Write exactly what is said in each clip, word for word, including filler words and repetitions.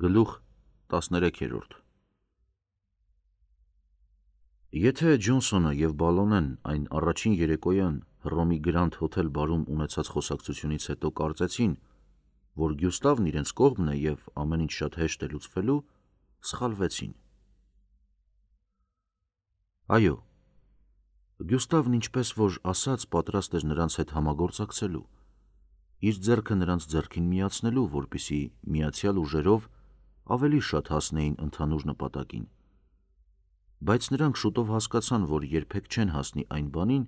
Գլուխ տասներեքերորդ Եթե Ջոնսոնը և Բալոնեն այն առաջին երեկոյան Հռոմի Գրանդ հոթել բարում ունեցած խոսակցությունից հետո կարծեցին, որ Գյուստավն իրենց կողմն է և ամեն ինչ շատ հեշտ է լուծվելու, սխալվեցին։ Այո, Գյուստավն ինչպես որ ասաց, պատրաստ էր նրանց հետ համագործակցելու, իր ձեռքը նրանց ձեռքին միացնելու, որպեսզի միացյալ ուժերով ավելի շատ հասնեին ընդհանուր նպատակին, բայց նրանք շուտով հասկացան, որ երբեք չեն հասնի այն բանին,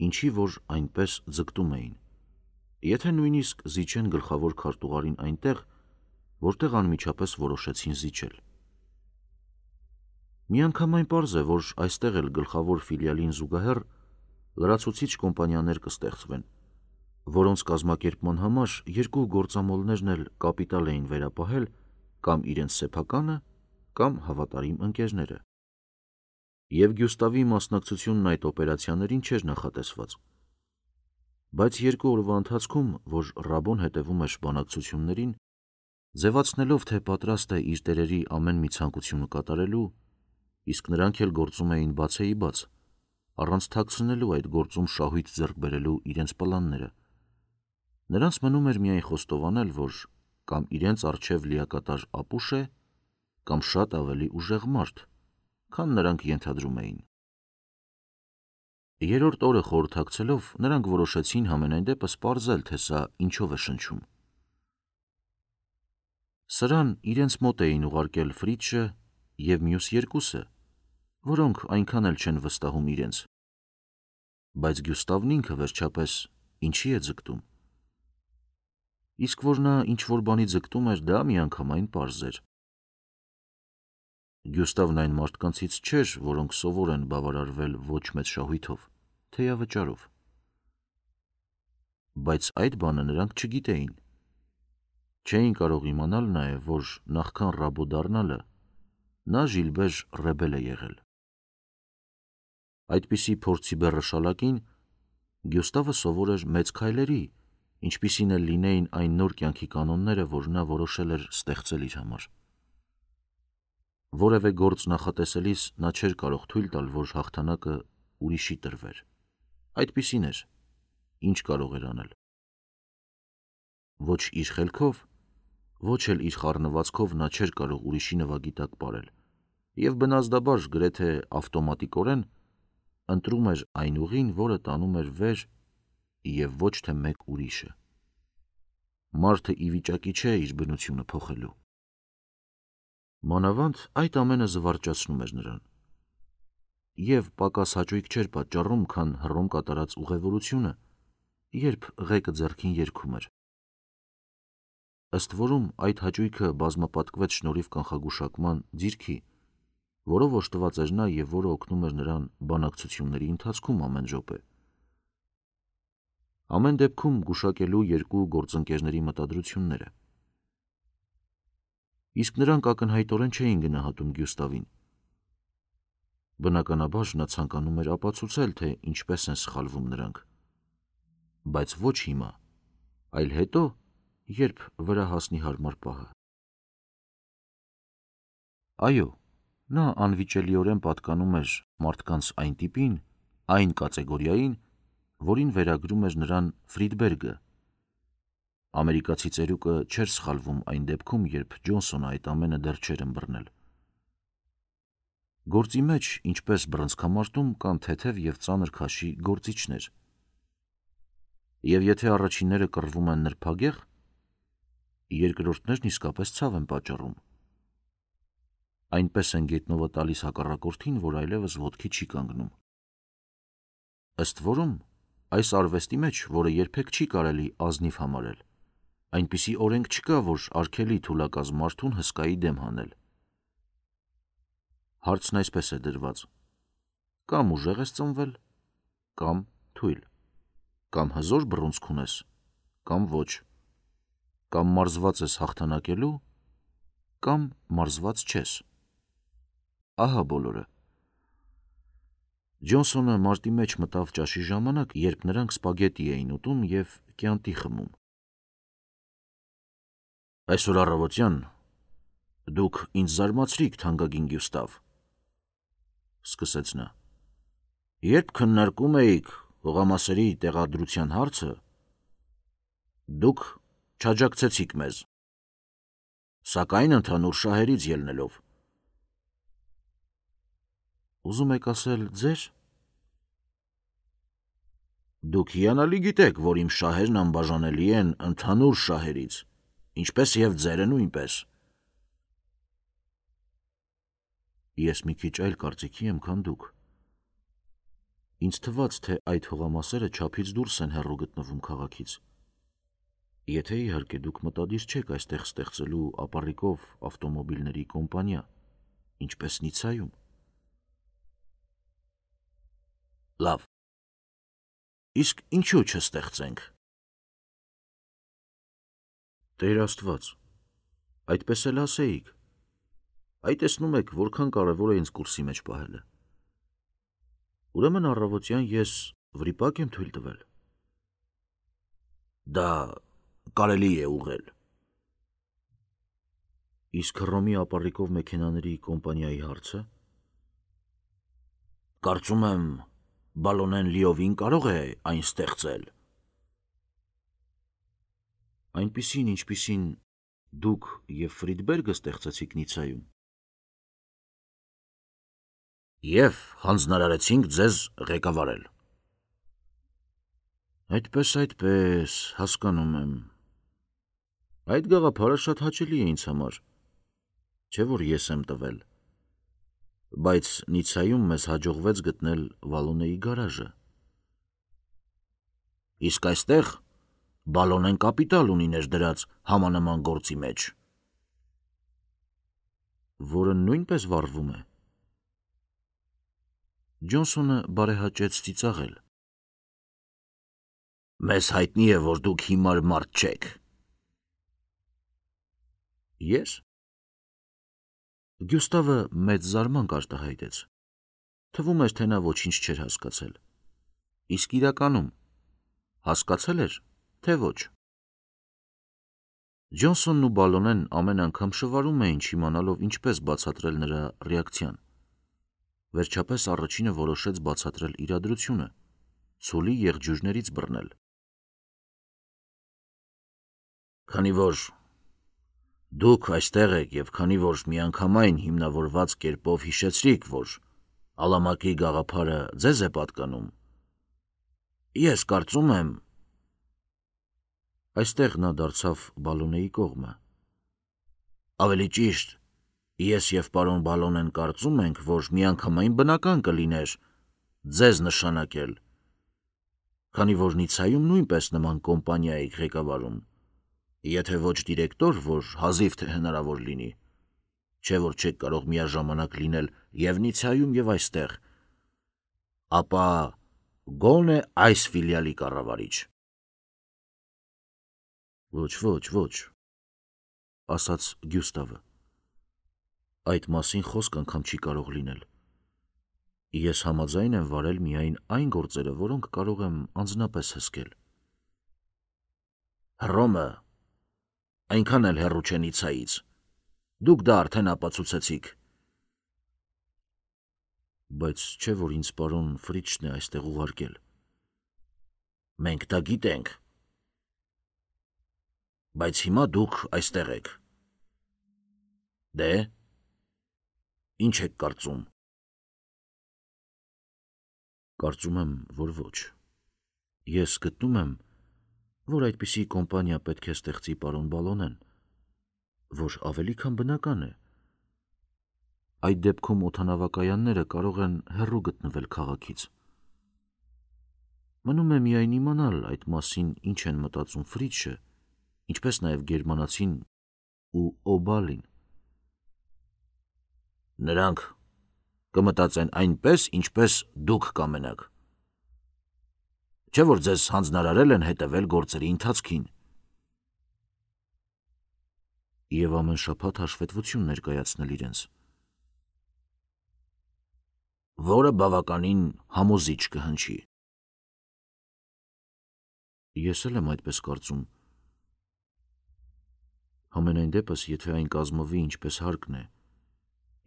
ինչի որ այնպես ձգտում էին, եթե նույնիսկ զիջեն գլխավոր քարտուղարին այնտեղ, որտեղ անմիջապես որոշեցին զիջել։ Միանգամայն պարզ է, որ այստեղ էլ գլխավոր ֆիլիալին զուգահեռ լրացուցիչ կոմպանիաներ կստեղծվեն, որոնց կազմակերպման համար երկու գործամոլներն էլ կապիտալ էին վերապահել կամ իրենց սեփականը, կամ հավատարիմ ընկերները։ Եվ Գյուստավի մասնակցությունն այդ օպերացիաներին չէր նախատեսված, բայց երկու օրվա ընթացքում, որ Ռաբոն հետևում էր բանակցություններին, ձևացնելով, թե պատրաստ է իր տերերի ամեն մի ցանկությունը կատարելու, իսկ նրանք էլ գործում էին բացեիբաց, առանց թաքցնելու այդ գործում շահույթ ձեռք բերելու իրենց պլանները, նրանց մնում էր միայն խոստովանել, որ կամ իրենց առջև լիակատար ապուշ է, կամ շատ ավելի ուժեղ մարդ, քան նրանք ենթադրում էին։ Երրորդ օրը խորհրդակցելով, նրանք որոշեցին համենայն դեպս պարզել, թե սա ինչով է շնչում։ Սրան իրենց մոտ էին ուղարկել Ֆրիցշը և մյուս երկուսը, որոնք այնքան էլ չեն վստահում իրենց, բայց Գյուստավն ինքը վերջապես ինչի է ձգտում։ Իսկ որ նա ինչ-որ բանի ձգտում էր, դա միանգամայն պարզ էր։ Գյուստավն այն մարդկանցից չէր, որոնք սովոր են բավարարվել ոչ մեծ շահույթով, թեյավճարով։ Բայց այդ բանը նրանք չգիտեին։ Չէին կարող իմանալ նաև, որ նախքան Ռաբո դառնալը նա Ժիլբեր Ռեբել է եղել։ Այդպիսի փորձի բեռը շալակին Գյուստավը սովոր էր մեծ քայլերի, ինչպիսին էլ լինեին այն նոր կյանքի կանոնները, որ նա որոշել էր ստեղծել իր համար։ Որևէ գործ նախատեսելիս նա չէր կարող թույլ տալ, որ հաղթանակը ուրիշի տրվեր։ Այդպիսին էր, ինչ կարող էր անել։ Ոչ իր խելքով, ոչ էլ իր խառնվածքով նա չէր կարող ուրիշի նվագի տակ պարել և բնազդաբար գրեթե ավտոմատիկորեն ընտրում էր այն ուղին, որը տանում էր վեր և ոչ թե մեկ ուրիշը։ Մարդը ի վիճակի չէ իր բնությունը փոխելու։ Մանավանդ այդ ամենը զվարճացնում էր նրան և պակաս հաճույք չէր պատճառում, քան Հռոմ կատարած ուղևորությունը, երբ ղեկը ձեռքին երգում էր։ Ըստ որում այդ հաճույքը բազմապատկվեց շնորհիվ կանխագուշակման ձիրքի, որով օժտված էր նա և որը օգնում էր նրան բանակցությունների ընթացքում ամեն րոպե։ Ամեն դեպքում գուշակելու երկու գործընկերների մտադրությունները։ Իսկ նրանք ակնհայտորեն չէին գնահատում Գյուստավին։ Բնականաբար նա ցանկանում էր ապացուցել, թե ինչպես են սխալվում նրանք, բայց ոչ հիմա, այլ հետո, երբ վրա հասնի հարմար պահը։ Այո, նա անվիճելիորեն պատկանում էր մարդկանց այն տիպին, այն կատեգորիային, որին վերագրում էր նրան Ֆրիդբերգը։ Ամերիկացի ծերուկը չէր սխալվում այն դեպքում, երբ Ջոնսոնը այդ ամենը դեռ չէր ըմբռնել։ Գործի մեջ, ինչպես բռնցքամարտում, կան թեթև և ծանր քաշի գործիչներ, և եթե առաջինները կռվում են նրբագեղ, երկրորդներն իսկապես ցավ են պատճառում։ Այնպես են գետնովը տալիս հակառակորդին, որ այլևս ոտքի չի կանգնում։ Ըստ որում, այս արվեստի մեջ, որը երբեք չի կարելի ազնիվ համարել, այնպիսի օրենք չկա, որ արգելի թուլակազմ մարդուն հսկայի դեմ հանել։ Հարցն այսպես է դրված. կամ ուժեղ ես ծնվել, կամ թույլ, կամ հզոր բռունցք ունես, կամ ոչ, կամ մարզված ես հաղթանակելու, կամ մարզված չես։ Ահա բոլորը։ Ջոնսոնը մարտի մեջ մտավ ճաշի ժամանակ, երբ նրանք սպագետի էին ուտում և կյանտի խմում։ Այսօր առավոտյան Դուք ինձ զարմացրիք, թանկագին Գյուստավ, սկսեց նա։ Երբ քննարկում էիք հողամասերի տեղադրության հարցը, դուք չաջակցեցիք մեզ, սակայն ընդհանուր շահերից ելնելով։ Ուզում եք ասել ձեր։ Դուք հիանալի գիտեք, որ իմ շահերն անբաժանելի են ընդհանուր շահերից, ինչպես և ձերը նույնպես։ Ես մի քիչ այլ կարծիքի եմ, քան դուք։ Ինձ թվաց, թե այդ հողամասերը չափից դուրս են հեռու գտնվում քաղաքից։ Եթե իհարկե դուք մտադիր չեք այստեղ ստեղծելու ապառիկով ավտոմոբիլների կոմպանիա, ինչպես Նիցայում։ Լավ, իսկ ինչու չստեղծենք։ Տեր Աստված, այդպես էլ ասեիք։ Այ տեսնում եք, որքան կարևոր է ինձ կուրսի մեջ պահելը։ Ուրեմն առավոտյան ես վրիպակ եմ թույլ տվել։ Դա կարելի է ուղղել։ Իսկ Հռոմի ապառիկով մեքենաների կոմպանիայի հարցը։ Կարծում եմ, Բալոնեն լիովին կարող է այն ստեղծել։ Այնպիսին, ինչպիսին դուք և Ֆրիդբերգը ստեղծեցիք Նիցայում։ Եվ հանձնարարեցինք ձեզ ղեկավարել։ Այդպես, այդպես, հասկանում եմ։ Այդ գաղափարը շատ հաճելի է ինձ համար, չէ՞ որ ես եմ տվել, բայց Նիցայում մեզ հաջողվեց գտնել Վալոնեի գարաժը։ Իսկ այստեղ Բալոնեն կապիտալ ունի ներդրած համանման գործի մեջ։ Որը նույնպես վառվում է։ Ջոնսոնը բարեհաճեց ծիծաղել։ Մեզ հայտնի է, որ դուք հիմար մարդ չեք։ Ես։ Գյուստավը մեծ զարմանք արտահայտեց։ Թվում էր, թե նա ոչինչ չէր հասկացել։ Իսկ իրականում հասկացել էր, թե ոչ։ Ջոնսոնն ու Բալոնեն ամեն անգամ շվարում էին չիմանալով ինչպես բացատրել նրա ռեակցիան։ Վերջապես առաջինը որոշեց բացատրել իրադրությունը, ցուլի եղջյուրներից բռնել։ Քանի որ դուք այստեղ եք և քանի որ միանգամայն հիմնավորված կերպով հիշեցրիք, որ Ալամակի գաղափարը ձեզ է պատկանում, ես կարծում եմ։ Այստեղ նա դարձավ Բալոնեի կողմը։ Ավելի ճիշտ, ես և պարոն Բալոնեն կարծում ենք, որ միանգամայն բնական կլիներ ձեզ նշանակել, քանի որ Նիցայում նույնպես նման կոմպանիա եք ղեկավարում, եթե ոչ դիրեկտոր, որ հազիվ թե հնարավոր լինի, չէ որ չեք կարող միաժամանակ լինել և Նիցայում և այստեղ, ապա գոնե այս ֆիլիալի կառավարիչ։ Ոչ, ոչ, ոչ, ասաց Գյուստավը։ Այդ մասին խոսք անգամ չի կարող լինել։ Ես համաձայն եմ վարել միայն այն գործերը, որոնք կարող եմ անձնապես հսկել։ Հռոմը այնքան էլ հեռու չէ Նիցայից։ Դուք դա արդեն ապացուցեցիք։ Բայց չէ որ ինձ պարոն Ֆրիչն է այստեղ ուղարկել։ Մենք դա գիտենք։ Բայց հիմա դուք այստեղ եք։ Դե, ինչ եք կարծում։ Կարծում եմ, որ ոչ։ Ես գտնում եմ, որ այդպիսի կոմպանիա պետք է ստեղծի պարոն Բալոնեն, որ ավելի քան բնական է։ Այդ դեպքում օդանավակայանները կարող են հեռու գտնվել քաղաքից։ Մնում է միայն իմանալ այդ մասին ինչ են մտածում Ֆրիչը, ինչպես նաև գերմանացին ու Օբալին։ Նրանք կմտածեն այնպես, ինչպես դուք կամենաք։ Չէ որ ձեզ հանձնարարել են հետևել գործերի ընթացքին։ Եվ ամեն շաբաթ հաշվետվություն ներկայացնել իրենց։ Որը բավականին համոզիչ կհնչի։ Ես էլ եմ այդպես կարծում։ Համենայն դեպս, եթե այն կազմվի ինչպես հարկն է,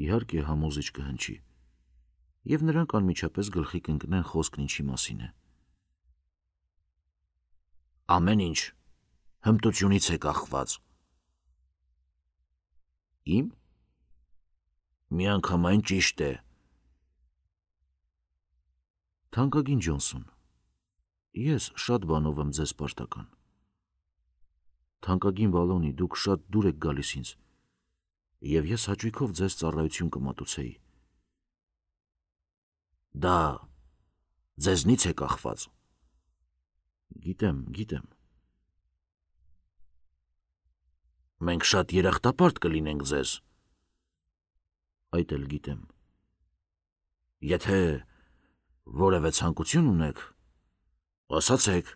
իհարկե համոզիչ կհնչի, և նրանք անմիջապես գլխի կընկնեն խոսքն ինչի մասին է։ Ամեն ինչ հմտությունից է կախված։ Իմ։ Միանգամայն ճիշտ է։ Թանկագին Ջոնսոն, ես շատ բանով եմ ձեզ պարտական։ Թանկագին Բալոնի, դուք շատ դուր եք գալիս ինձ, և ես հաճույքով ձեզ ծառայություն կմատուցեի։ Դա ձեզնից է կախված։ Գիտեմ, գիտեմ։ Մենք շատ երախտապարտ կլինենք ձեզ։ Այդ էլ գիտեմ։ Եթե որևէ ցանկություն ունեք, ասացեք։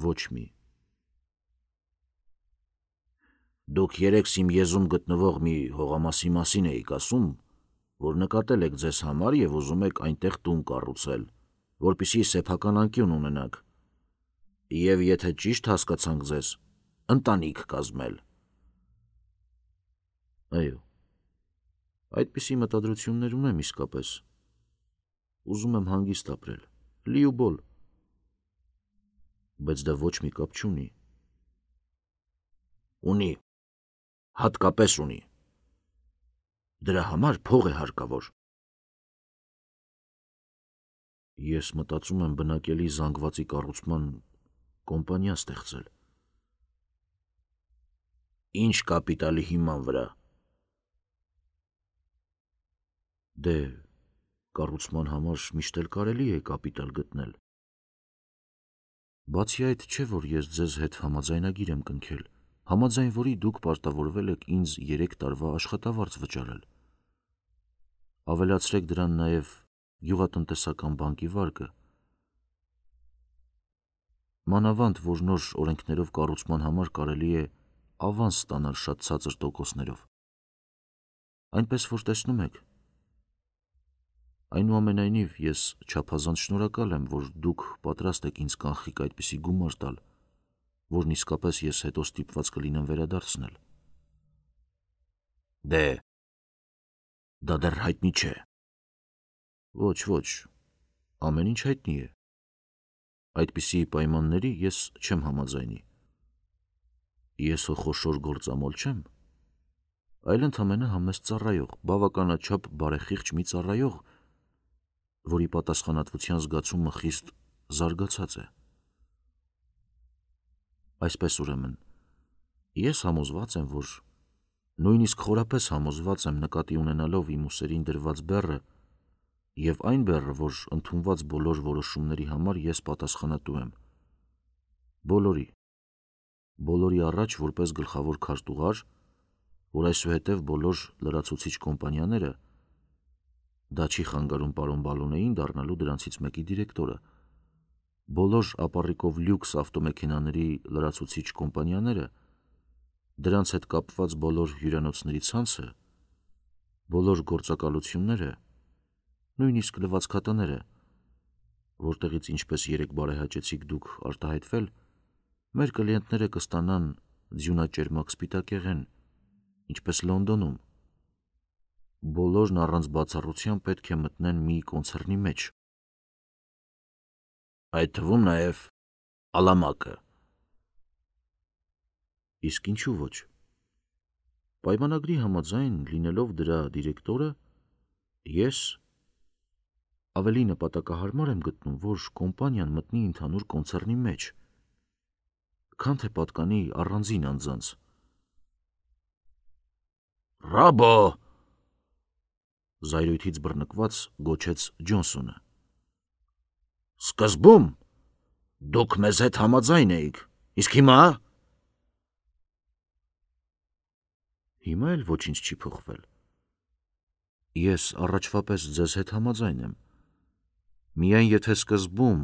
Ոչ մի։ Դուք երեքս իմ եզում գտնվող մի հողամասի մասին էիք ասում, որ նկատել եք ձեզ համար և ուզում եք այնտեղ տուն կառուցել, որպեսզի սեփական անկյուն ունենաք, և եթե ճիշտ հասկացանք ձեզ, ընտանիք կազմել։ Այո, այդպիսի մտադրություններ ունեմ իսկապես։ Ուզում եմ հանգիստ ապրել, լի ու բոլ։ Բայց դա ոչ մի կապ չունի։ Ունի, հատկապես ունի։ Դրա համար փող է հարկավոր։ Ես մտածում եմ բնակելի զանգվածի կառուցման կոմպանիա ստեղծել։ Ինչ կապիտալի հիման վրա։ Դե, կառուցման համար միշտ էլ կարելի է կապիտալ գտնել։ Բացի այդ, չէ որ ես ձեզ հետ համաձայնագիր եմ կնքել, համաձայն որի դուք պարտավորվել եք ինձ երեք տարվա աշխատավարձ վճարել։ Ավելացրեք դրան նաև գյուղատնտեսական բանկի վարկը։ Մանավանդ, որ նոր օրենքներով կառուցման համար կարելի է ավանս ստանալ շատ ցածր տոկոսներով։ Այնպես որ տեսնում եք։ Այնուամենայնիվ, ես չափազանց շնորհակալ եմ, որ դուք պատրաստ եք ինձ կանխիկ այդպիսի գումար տալ, որն իսկապես ես հետո ստիպված կլինեմ վերադարձնել։ Դե, դա դեռ հայտնի չէ։ Ոչ, ոչ, ամեն ինչ հայտնի է։ Այդպիսի պայմանների ես չեմ համաձայնի։ Ես հո խոշոր գործամոլ չեմ, այլ ընդամենը համեստ ծառայող, բավականաչափ բարեխիղճ մի ծառայող, որի պատասխանատվության զգացումը խիստ զարգացած է։ Այսպես ուրեմն, ես համոզված եմ, որ նույնիսկ խորապես համոզված եմ նկատի ունենալով իմ ուսերին դրված բեռը և այն բեռը, որ ընդունված բոլոր որոշումների համար ես պատասխանատու եմ։ Բոլորի, բոլորի առաջ որպես գլխավոր քարտուղար, որ այսուհետև բոլոր լրացուցիչ կոմպանիաները, դա չի խանգարում պարոն Բալոնեին դառնալու դրանցից մեկի դիրեկտորը, բոլոր ապառիկով լյուքս ավտոմեքենաների լրացուցիչ կոմպանիաները, դրանց հետ կապված բոլոր հյուրանոցների ցանցը, բոլոր գործակալությունները, նույնիսկ լվացքատները, որտեղից ինչպես երեկ բարեհաճեցիք դուք արտահայտվել, մեր կլիենտները կստանան ձյունաճերմակ սպիտակեղեն, ինչպես Լոնդոնում։ Բոլորն առանց բացառության պետք է մտնեն մի կոնցեռնի մեջ։ Այդ թվում նաև Ալամակը։ Իսկ ինչու ոչ։ Պայմանագրի համաձայն լինելով դրա դիրեկտորը, ես ավելի նպատակահարմար եմ գտնում, որ կոմպանիան մտնի ընդհանուր կոնցեռնի մեջ, քան թե պատկանի առանձին անձանց։ Ռաբո, զայրույթից բռնկված գոչեց Ջոնսոնը։ Սկզբում դուք մեզ հետ համաձայն էիք, իսկ հիմա։ Հիմա էլ ոչինչ չի փոխվել։ Ես առաջվա պես ձեզ հետ համաձայն եմ։ Միայն եթե սկզբում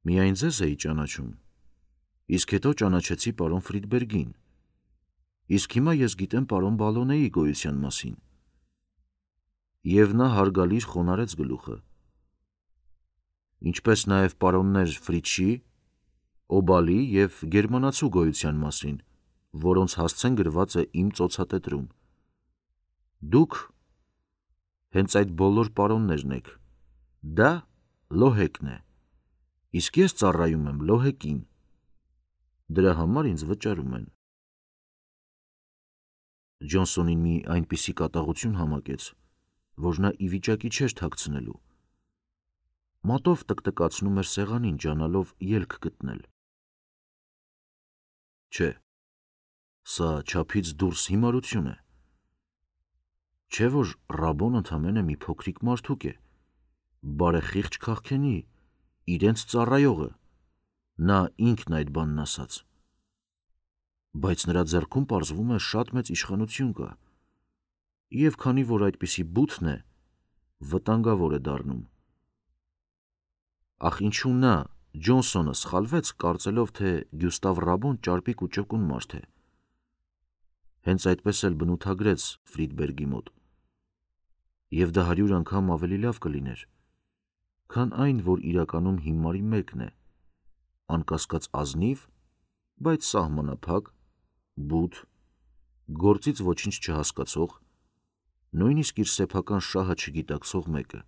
միայն ձեզ էի ճանաչում, իսկ հետո ճանաչեցի պարոն Ֆրիդբերգին, իսկ հիմա ես գիտեմ պարոն Բալոնեի գոյության մասին։ Եվ նա հարգալից խոնարհեց գլուխը։ Ինչպես նաև պարոններ Ֆրիչի Օբալի և գերմանացու գոյության մասին, որոնց հասցեն գրված է իմ ծոցատետրում։ Դուք հենց այդ բոլոր պարոններն եք։ Դա Լոհեկն է, իսկ ես ծառայում եմ Լոհեկին։ Դրա համար ինձ վճարում են։ Ջոնսոնին մի այնպիսի կատաղություն համակեց, որ նա ի վիճակի չէր թաքցնելու։ Մատով տկտկացնում էր սեղանին, ջանալով ելք գտնել։ Չէ, սա չափից դուրս հիմարություն է։ Չէ՞ որ Ռաբոն ընդամենը մի փոքրիկ մարդուկ է, բարեխիղճ քաղքենի, իրենց ծառայողը, նա ինքն այդ բանն ասաց։ Բայց նրա ձեռքում պարզվում է շատ մեծ իշխանություն կա, և քանի որ այդպիսի բութն է, վտանգավոր է դառնում։ Ախ ինչու նա, Ջոնսոնը, սխալվեց, կարծելով, թե Գյուստավ Ռաբոն ճարպիկ ու ճկուն մարդ է։ Հենց այդպես էլ բնութագրեց Ֆրիդբերգի մոտ։ Եվ դա հարյուր անգամ ավելի լավ կլիներ, քան այն, որ իրականում հիմարի մեկն է, անկասկած ազնիվ, բայց սահմանափակ, բութ, գործից ոչինչ չհասկացող, նույնիսկ իր սեփական շահը չգիտակցող մեկը։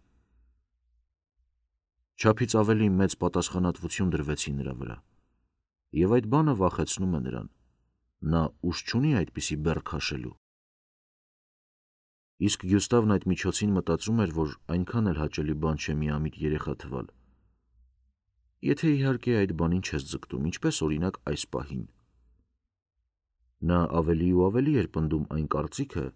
Չափից ավելի մեծ պատասխանատվություն դրվեցի նրա վրա, և այդ բանը վախեցնում է նրան, նա ուժ չունի այդպիսի բեռ քաշելու։ Իսկ Գյուստավն այդ միջոցին մտածում էր, որ այնքան էլ հաճելի բան չէ միամիտ երեխա թվալ։ Եթե իհարկե այդ բանին չես ձգտում, ինչպես օրինակ այս պահին։ Նա ավելի ու ավելի էր պնդում այն կարծիքը,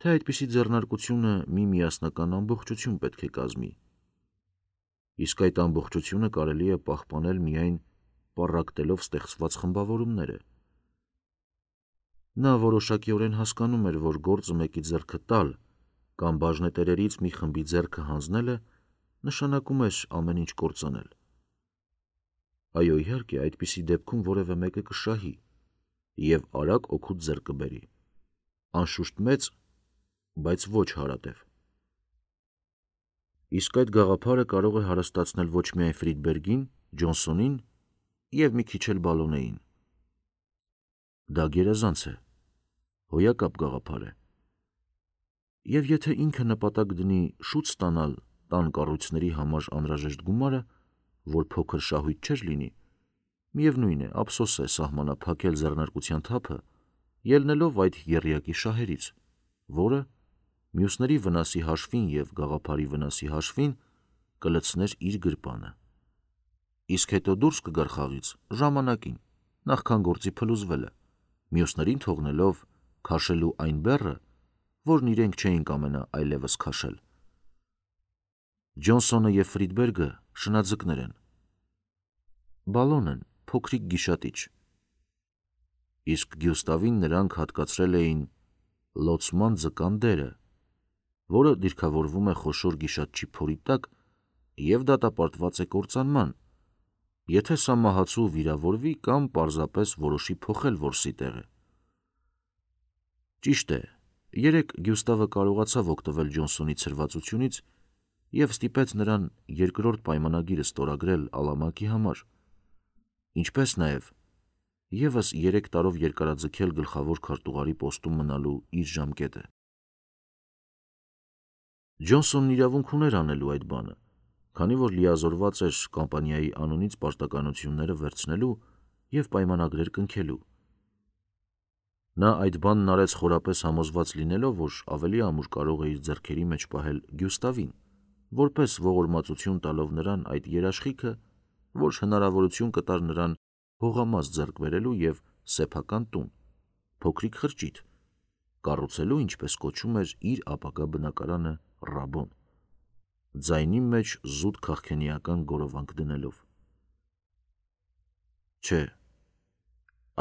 թե այդպիսի ձեռնարկությունը մի միասնական ամբողջություն պետք է կազմի, իսկ այդ ամբողջությունը կարելի է պահպանել միայն պառակտելով ստեղծված խմբավորումները։ Նա որոշակիորեն հասկանում էր, որ գործը մեկի ձեռքը տալ կամ բաժնետերերից մի խմբի ձեռքը հանձնելը նշանակում էր ամեն ինչ կործանել։ Այո, իհարկե, այդպիսի դեպքում որևէ մեկը կշահի և արագ օգուտ ձեռք կբերի, անշուշտ մեծ, բայց ոչ հարատև։ Իսկ այդ գաղափարը կարող է հարստացնել ոչ միայն Ֆրիդբերգին, Ջոնսոնին և մի քիչ էլ Բալոնեին։ Դա գերազանց է, հոյակապ գաղափար է։ Եվ եթե ինքը նպատակ դնի շուտ ստանալ տան կառույցների համար անհրաժեշտ գումարը, որ փոքր շահույթ չէր լինի, միևնույն է, ափսոս է սահմանափակել ձեռնարկության թափը, ելնելով այդ եռյակի շահերից, որը մյուսների վնասի հաշվին և գաղափարի վնասի հաշվին կլցներ իր գրպանը։ Իսկ հետո դուրս կգար խաղից ժամանակին, նախքան գործի փլուզվելը, մյուսներին թողնելով քաշելու այն բեռը, որն իրենք չէին կամենա այլևս քաշել։ Ջոնսոնը և Ֆրիդբերգը շնաձկներ են։ Բալոնեն փոքրիկ գիշատիչ։ Իսկ Գյուստավին նրանք հատկացրել էին լոցման ձկան դերը, որը դիրքավորվում է խոշոր գիշատչի փորի տակ և դատապարտված է կործանման, եթե սա մահացու վիրավորվի կամ պարզապես որոշի փոխել որսի տեղը։ Ճիշտ է, երեկ Գյուստավը կարողացավ օգտվել Ջոնսոնի ցրվածությունից և ստիպեց նրան երկրորդ պայմանագիրը ստորագրել Ալամակի համար, ինչպես նաև ևս երեք տարով երկարաձգել գլխավոր քարտուղարի պոստում մնալու իր ժամկետը։ Ջոնսոնն իրավունք ուներ անելու այդ բանը, քանի որ լիազորված էր կամպանիայի անունից պարտականությունները վերցնելու և պայմանագրեր կնքելու։ Նա այդ բանն արեց խորապես համոզված լինելով, որ ավելի ամուր կարող է իր ձեռքերի մեջ պահել Գյուստավին, որպես ողորմածություն տալով նրան այդ երաշխիքը, որ հնարավորություն կտար նրան հողամաս ձեռք բերելու և սեփական տուն, փոքրիկ խրճիթ, կառուցելու, ինչպես կոչում էր իր ապագա բնակարանը Ռաբոն, ձայնի մեջ զուտ քաղքենիական գորովանք դնելով։ Չէ,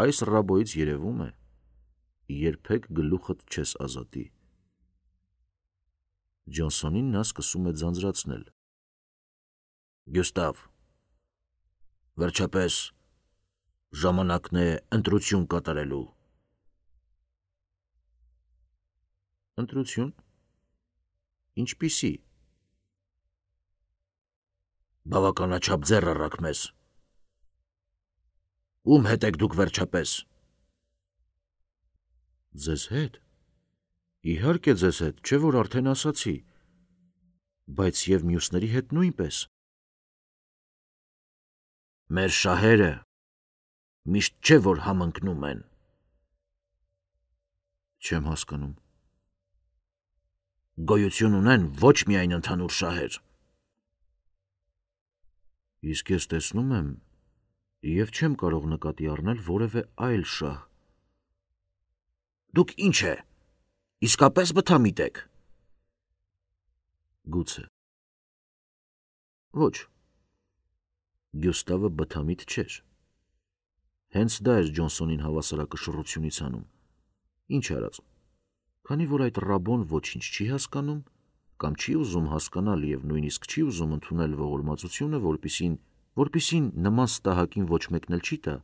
այս Ռաբոյից երևում է, երբեք գլուխդ չես ազատի։ Ջոնսոնին նա սկսում է ձանձրացնել։ Գյուստավ, վերջապես ժամանակն է ընտրություն կատարելու։ Ընտրություն։ Ինչպիսի։ Բավականաչափ ձեռ առաք մեզ։ Ում հետ եք դուք վերջապես։ Ձեզ հետ։ Իհարկե ձեզ հետ, չէ որ արդեն ասացի, բայց եւ մյուսների հետ նույնպես։ Մեր շահերը միշտ չէ որ համընկնում են։ Չեմ հասկանում։ Գոյություն ունեն ոչ միայն ընդհանուր շահեր։ Իսկ ես տեսնում եմ եւ չեմ կարող նկատի առնել որևէ այլ շահ։ Դուք ինչ է, իսկապես բթամիտ եք։ Գուցե։ Ոչ։ Գյուստավը բթամիտ չէր։ Հենց դա էր Ջոնսոնին հավասարակշռությունից անում։ Ինչ արած։ Քանի որ այդ ռաբոն ոչինչ չի հասկանում, կամ չի ուզում հասկանալ եւ նույնիսկ չի ուզում ընդունել ողորմածությունը, որպիսին, որպիսին նման ստահակին ոչ մեկն էլ չի տա,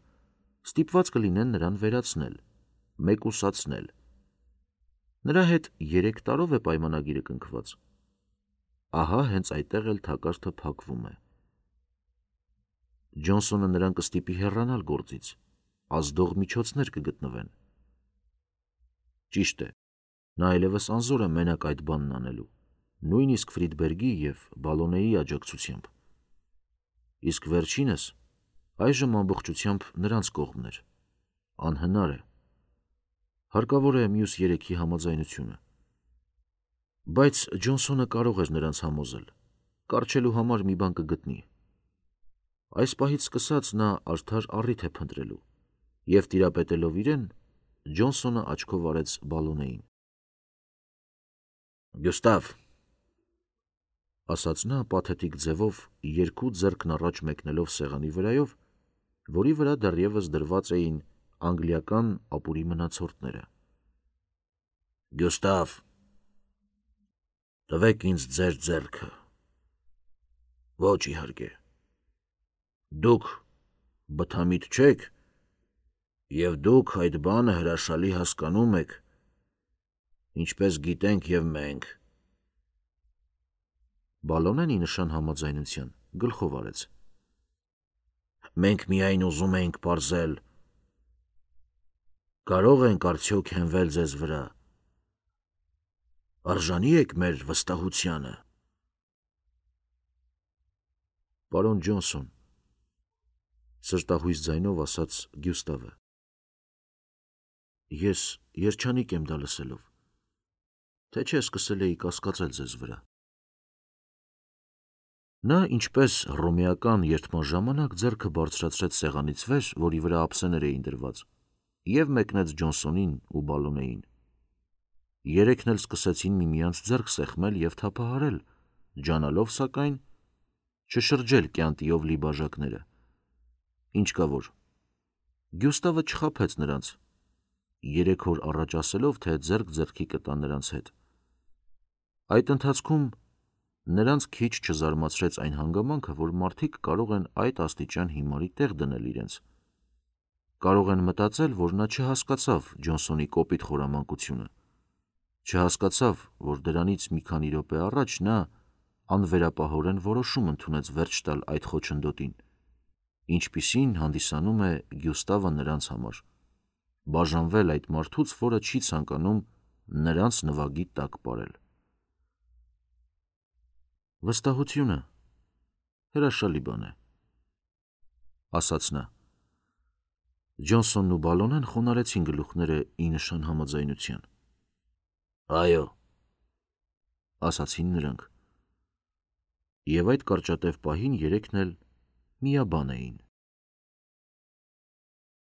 ստիպված կլինեն նրան վերացնել, մեկուսացնել։ Նրա հետ երեք տարով է պայմանագիրը կնքված։ Ահա հենց այդտեղ էլ թակարդը փակվում է։ Ջոնսոնը նրան կստիպի հեռանալ գործից, ազդող միջոցներ կգտնվեն։ Ճիշտ է, նա այլևս անզոր է մենակ այդ բանն անելու, նույնիսկ Ֆրիդբերգի և Բալոնեի աջակցությամբ։ Իսկ վերջինս այժմ ամբողջությամբ նրանց կողմն էր, անհնար է, հարկավոր է մյուս երեքի համաձայնությունը։ Բայց Ջոնսոնը կարող էր նրանց համոզել, կառչելու համար մի բան կգտնի։ Այս պահից սկսած նա արդար առիթ է փնտրելու, և տիրապետելով իրեն, Ջոնսոնը աչքով արեց Բալոնեին։ Գյուստավ, ասաց նա պաթետիկ ձևով, երկու ձեռքն առաջ մեկնելով սեղանի վրայով, որի վրա դեռևս դրված էին անգլիական ապուրի մնացորդները։ Գյուստավ, տվեք ինձ ձեր ձեռքը։ Ոչ իհարկե։ Դուք բթամիտ չեք, և դուք այդ բանը հրաշալի հասկանում եք, ինչպես գիտենք և մենք։ Բալոնեն ի նշան համաձայնության գլխով արեց։ Մենք միայն ուզում էինք պարզել, կարող ենք արդյոք հենվել ձեզ վրա, արժանի եք մեր վստահությանը։ Պարոն Ջոնսոն, սրտահույս ձայնով ասաց Գյուստավը, ես երջանիկ եմ դա լսելով, թե չէ սկսել էի կասկածել ձեզ վրա։ Նա ինչպես հռոմեական երդման ժամանակ ձեռքը բարձրացրեց սեղանից վեր, որի վրա ափսեներ էին դրված, և մեկնեց Ջոնսոնին ու Բալոնեին։ Երեքն էլ սկսեցին միմյանց ձեռք սեղմել և թափահարել, ջանալով, սակայն, չշրջել կյանտիով լի բաժակները։ Ինչ կա որ։ Գյուստավը չխաբեց նրանց, երեք օր առաջ ասելով, թե ձեռք ձեռքի կտա նրանց հետ։ Այդ ընթացքում նրանց քիչ չզարմացրեց այն հանգամանքը, որ մարդիկ կարող են այդ աստիճան հիմարի տեղ դնել իրենց։ Կարող են մտածել, որ նա չհասկացավ Ջոնսոնի կոպիտ խորամանկությունը, չհասկացավ, որ դրանից մի քանի րոպե առաջ նա անվերապահորեն որոշում ընդունեց վերջ տալ այդ խոչընդոտին, ինչպիսին հանդիսանում է Գյուստավը նրանց համար, բաժանվել այդ մարդուց, որը չի ցանկանում նրանց նվագի տակ պարել։ Վստահությունը հրաշալի բան է, ասաց նա։ Ջոնսոնն ու Բալոնեն խոնարհեցին գլուխները ի նշան համաձայնության։ Այո, ասացին նրանք։ Եվ այդ կարճատև պահին երեքն էլ միաբան էին։